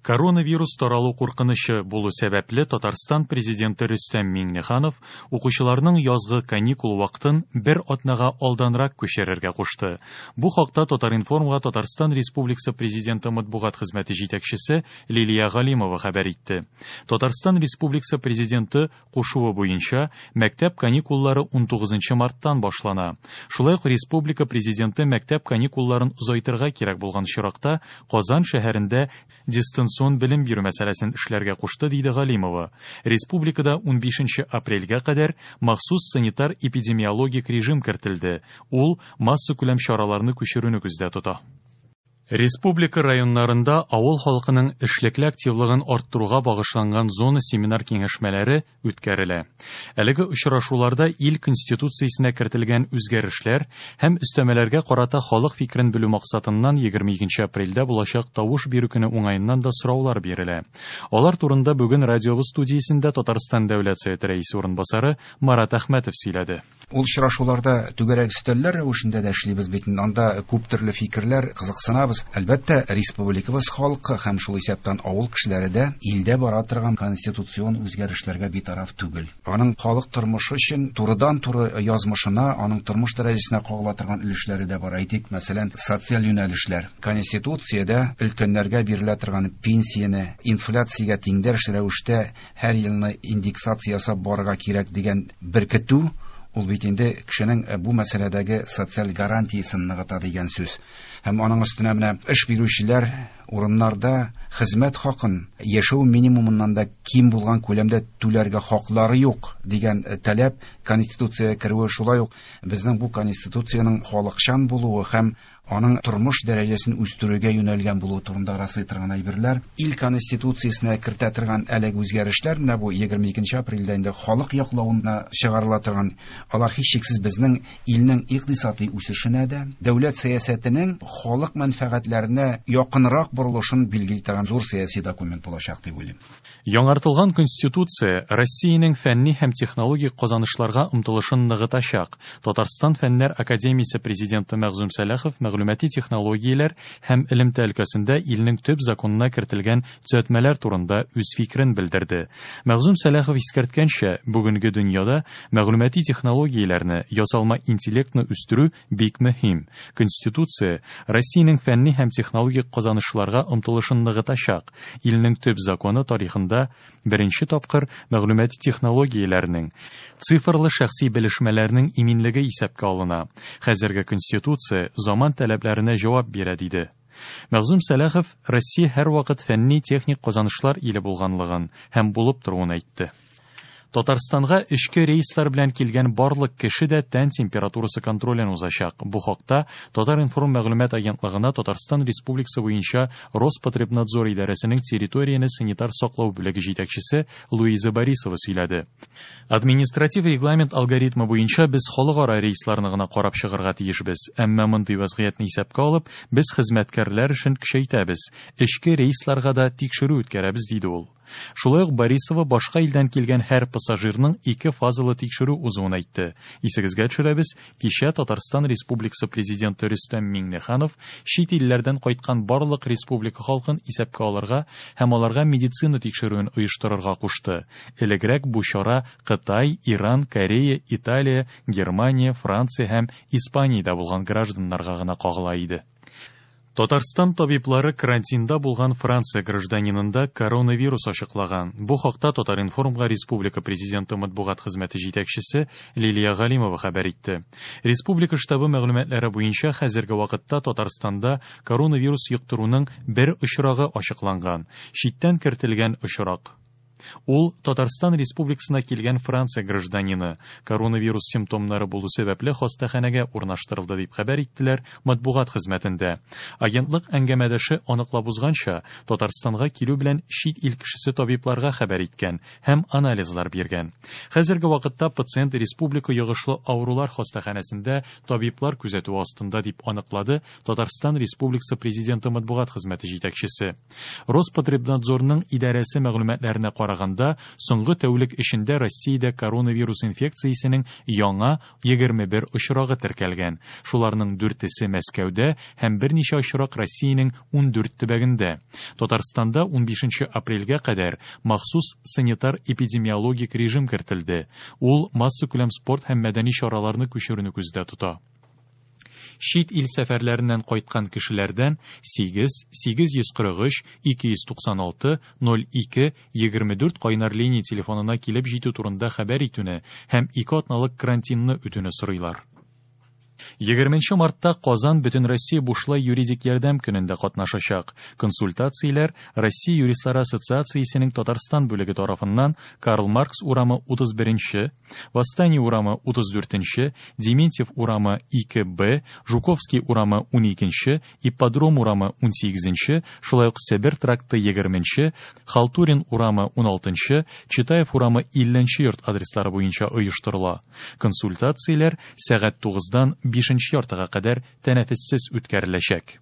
Коронавирус таралу куркынычы булу сәбәпле, Татарстан Президенты Рөстәм Миңнеханов укучыларның язгы каникул вакытын бер атнага алданрак күчерергә кушты. Бу хакта Татар-информ га Татарстан Республикасы Президенты матбугат хезмәте җитәкчесе Лилия Галимова хәбәр итте. Татарстан Республикасы Президенты кушуы буенча, мәктәп каникуллары 19 марттан башлана. Шулай ук республика Президенты мәктәп каникулларын озайтырга кирәк булган очракта Казан шәһәрендә дистанцион белем бирү мәсьәләсен эшләргә кушты, диде Галимова. Республикада 15 апрельгә кадәр махсус санитар-эпидемиологик режим кертелде. Ул массакүләм чараларны күчерүне күздә тота. Республика районнарында авыл халкының эшлекле активлыгын арттыруга багышланган зона семинар-киңәшмәләре үткәрелә. Әлеге очрашуларда ил Конституциясенә кертелгән үзгәрешләр һәм өстәмәләргә карата халык фикерен белү максатыннан 22 апрельдә булачак тавыш бирү көне уңаеннан да сораулар бирелә. Алар турында бүген радиобыз студиясендә Татарстан Дәүләт Советы Рәисе урынбасары Марат Әхмәтов сөйләде. Ул очрашуларда түгәрәк өстәлләр рәвешендә дә эшлибез бит. Анда күп төрле фикерләр, кызыксынабыз. Әлбәттә, республикабыз халкы һәм шул исәптән авыл кешеләре дә илдә бара торган конституцион үзгәрешләргә битараф түгел. Аның халык тормышы өчен турыдан-туры язмышына, аның тормыш дәрәҗәсенә кагыла торган өлешләре дә бар. Әйтик, мәсәлән, социаль юнәлешләр. Конституциядә өлкәннәргә бирелә торган пенсияне инфляциягә тиңдәш рәвештә һәр елны индексация ясап барырга кирәк дигән беркетү, ул бит инде кешенең бу мәсьәләдәге социаль гарантиясен ныгыта дигән сүз. Һәм аның өстенә менә эш бирүчеләр урыннарда хезмәт хакын яшәү минимумыннан да ким булган күләмдә түләргә хаклары юк дигән таләп Конституциягә керүе, шулай ук безнең бу Конституциянең халыкчан булуы һәм аның тормыш дәрәҗәсен үстерүгә юнәлгән булуы турында раслый торган әйберләр. Ил Конституциясенә кертә торган әлеге үзгәрешләр менә бу 22 апрельдә инде халык яклавына чыгарыла торган, алар һичшиксез безнең илнең икътисади үсешенә дә, дәүләт сәясәтенең халык мәнфәгатьләренә якынрак борылышын билгели торган зур сәяси документ булачак дип уйлыйм. Яңартылган Конституция Россиянең фәнни һәм технологик казанышларга омтылышын ныгытачак. Татарстан Фәннәр академиясе президенты Мәгъзүм Сәлахов мәгълүмати технологияләр һәм элемтә өлкәсендә илнең төп законына кертелгән төзәтмәләр турында үз фикерен белдерде. Мәгъзүм Сәлахов искәрткәнчә, бүгенге дөньяда мәгълүмати технологияләрне, ясалма интеллектны үстерү бик мөһим. Конституция Россиянең фәнни һәм технологик казанышларга омтылышын ныгытачак. Илнең төп законы тарихында беренче тапкыр мәгълүмати технологияләрнең, цифрлы шәхси белешмәләрнең иминлеге исәпкә алына. Хәзерге Конституция заман таләпләренә җавап бирә, диде. Мәгъзүм Сәлахов Россия һәрвакыт фәнни-техник казанышлар иле булганлыгын һәм булып торуын әйтте. Татарстанга эчке рейслар белән килгән барлык кеше дә тән температурасы контролен узачак. Бу хакта Татар-информ мәгълүмат агентлыгына Татарстан Республикасы буенча Роспотребнадзор идарәсенең территорияне санитар саклау бүлеге җитәкчесе Луиза Борисова сөйләде. Административ регламент алгоритмы буенча без халыкара рейсларны гына карап чыгарга тиешбез. Әмма мондый вазгыятьне исәпкә алып, без хезмәткәрләр эшен көчәйтәбез. Эчке рейсларга да тикшерү үткәрәбез, диде ул. Шулай ук Борисова башка илдән килгән һәр пассажирның ике фазалы тикшерү узуын әйтте. Исегезгә төшерәбез, кичә Татарстан Республикасы Президенты Рөстәм Миңнеханов чит илләрдән кайткан барлык республика халкын исәпкә алырга һәм аларга медицина тикшерүен оештырырга кушты. Элегрәк бу чара Кытай, Иран, Корея, Италия, Германия, Франция һәм Испаниядә булган гражданнарга гына кагыла иде. Татарстан табиблары карантинда булган Франция гражданинында коронавирус ачыклаган. Бу хакта Татар-информга республика президенты матбугат хезмәте җитәкчесе Лилия Галимова хәбәр итте. Республика штабы мәгълүматлары буенча хәзерге вакытта Татарстанда коронавирус йоктыруның бер очрагы ачыкланган. Читтән кертелгән очрак. Ул Татарстан Республикасына килгән Франция гражданины. Коронавирус симптомнары булу сәбәпле хастаханәгә урнаштырылды дип хәбәр иттеләр матбугат хезмәтендә. Агентлык әңгәмәдәше аныклап узганча, Татарстанга килү белән чит ил кешесе табибларга хәбәр иткән һәм анализлар биргән. Хәзерге вакытта пациент республика йогышлы авырулар хастаханәсендә табиблар күзәтүе астында дип аныклады Татарстан Республикасы Президенты матбугат хезмәте җитәкчесе. Роспотребнадзорның идарәсе мәгълүматларына караганда, караганда, соңгы тәүлек эчендә Россиядә коронавирус инфекциясенең яңа 21 очрагы теркәлгән. Шуларның дүртесе Мәскәүдә һәм берничә очрак Россиянең 14 төбәгендә. Татарстанда 15 апрельгә кадәр махсус санитар-эпидемиологик режим кертелде. Ул массакүләм спорт һәм мәдәни чараларны күчерүне күздә тота. Чит ил сәфәрләреннән кайткан кешеләрдән 8 843 296 02 24 кайнар линия телефонына килеп җитү турында хәбәр итүне һәм 2 атналык карантинны үтүне сорыйлар. 20 мартта Казан Бөтенроссия бушлай юридик ярдәм көнендә катнашачак. Консультацияләр Россия юристлары ассоциациясенең Татарстан бүлеге тарафыннан Карл Маркс урамы 31-нче, Восстание урамы 34-нче, Дементьев урамы 2Б, Жуковский урамы 12-нче, Ипподром урамы 18-нче, шулай ук Себер тракты 20-нче, Халтурин урамы 16-нчы, Читаев урамы 50-нче йорт адреслары буенча оештырыла. Консультацияләр сәгать 9-дан 5-нче яртыга кадәр тәнәфессез үткәреләчәк.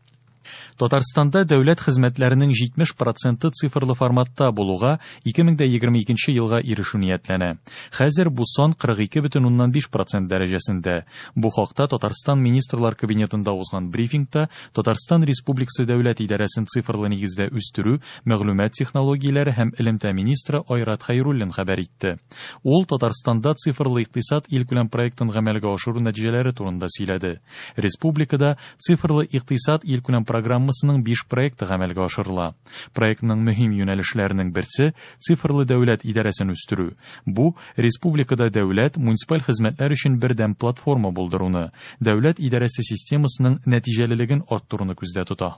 Татарстанда дәүләт хезмәтләренең 70 проценты цифрлы форматта булуга 2022 елга ирешү ниятләнә. Хәзер бу сан 42,5 процент дәрәҗәсендә. Бу хакта Татарстан Министрлар Кабинетында узган брифингта Татарстан Республикасы дәүләт идарәсен цифрлы нигездә үстерү, мәгълүмат технологияләре һәм элемтә министры Айрат Хәйруллин хәбәр итте. Ул Татарстанда цифрлы икътисад илкүләм проектын гамәлгә ашыру нәтиҗәләре турында сөйләде. Республикада цифрлы икътисад илкүләм программасының 5 проекты гамәлгә ашырыла. Проектның мөһим юнәлешләренең берсе цифрлы дәүләт идарәсен үстерү. Бу республикада дәүләт муниципаль хезмәтләр өчен бердәм платформа булдыруны, дәүләт идарәсе системасының нәтиҗәлелеген арттыруны күздә тота.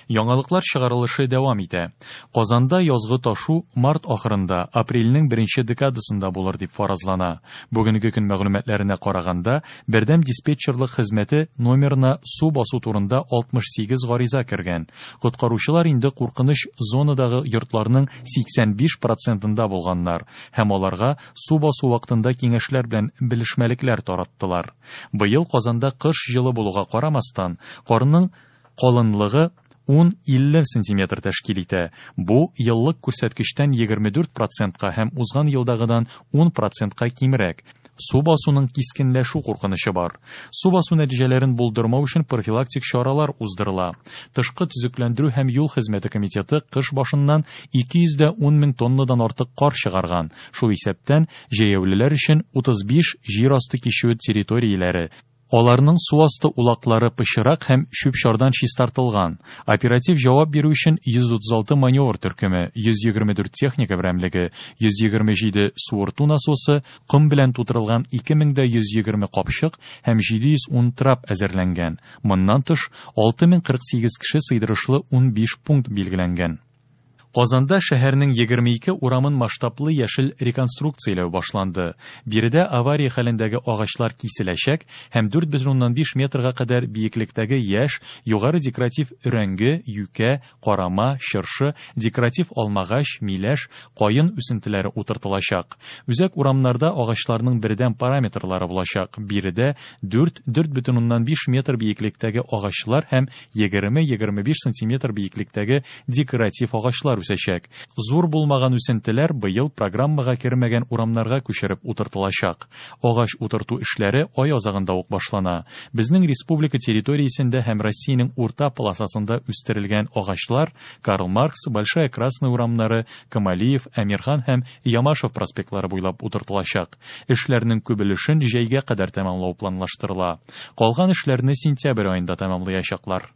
Яңалыклар чыгарылышы дәвам итә. Казанда язгы ташу март ахырында, апрельнең беренче декадасында булыр дип фаразлана. Бүгенге көн мәгълүматларына караганда, бердәм диспетчерлык хезмәте номерына су басу турында 68 гариза кергән. Коткаручылар инде куркыныч зонадагы йортларның 85 процентында булганнар һәм аларга су басу вакытында киңәшләр белән белешмәлекләр тараттылар. Быел Казанда кыш җылы булуга карамастан, карның калынлыгы 10-50 сантиметр тәшкил итә. Бу еллык күрсәткечтән 24 процентка һәм узган елдагыдан 10 процентка кимрәк. Су басуның кискенләшү куркынычы бар. Су басу нәтиҗәләрен булдырмау өчен профилактик чаралар уздырыла. Тышкы төзекләндерү һәм юл хезмәте комитеты кыш башыннан 210 мең тоннадан артык кар чыгарган. Шул исәптән җәяүлеләр өчен 35 җир асты кичүе территорияләре, аларның су асты улаклары пычрак һәм чүп-чардан чистартылган. Оператив җавап бирү өчен 136 маневр төркеме, 124 техника берәмлеге, 127 суырту насосы, ком белән тутырылган 2120 капчык һәм 710 трап әзерләнгән. Моннан тыш, 6048 кеше сыйдырышлы 15 пункт билгеләнгән. Казанда шәһәрнең 22 урамын масштаблы яшел реконструкцияләү башланды. Биредә авария хәлендәге агачлар киселәчәк һәм 4,5 метрга кадәр биеклектәге яшь, югары декоратив өрәңге, юкә, карама, чыршы, декоратив алмагач, миләш, каен үсентеләре утыртылачак. Үзәк урамнарда агачларның бердәм параметрлары булачак. Биредә 4-4,5 метр биеклектәге агачлар һәм 20-25 сантиметр биеклектәге декоратив агачлар үсәчәк. Зур булмаган үсентеләр быел программага кермәгән урамнарга күчереп утыртылачак. Агач утырту эшләре ай азагында ук башлана. Безнең республика территориясендә һәм Россиянең урта полосасында үстерелгән агачлар Карл Маркс, Большая Красная урамнары, Камалиев, Әмирхан һәм Ямашев проспектлары буйлап утыртылачак. Эшләрнең күп өлешен җәйгә кадәр тәмамлау планлаштырыла. Калган эшләрне сентябрь аенда тәмамлаячаклар.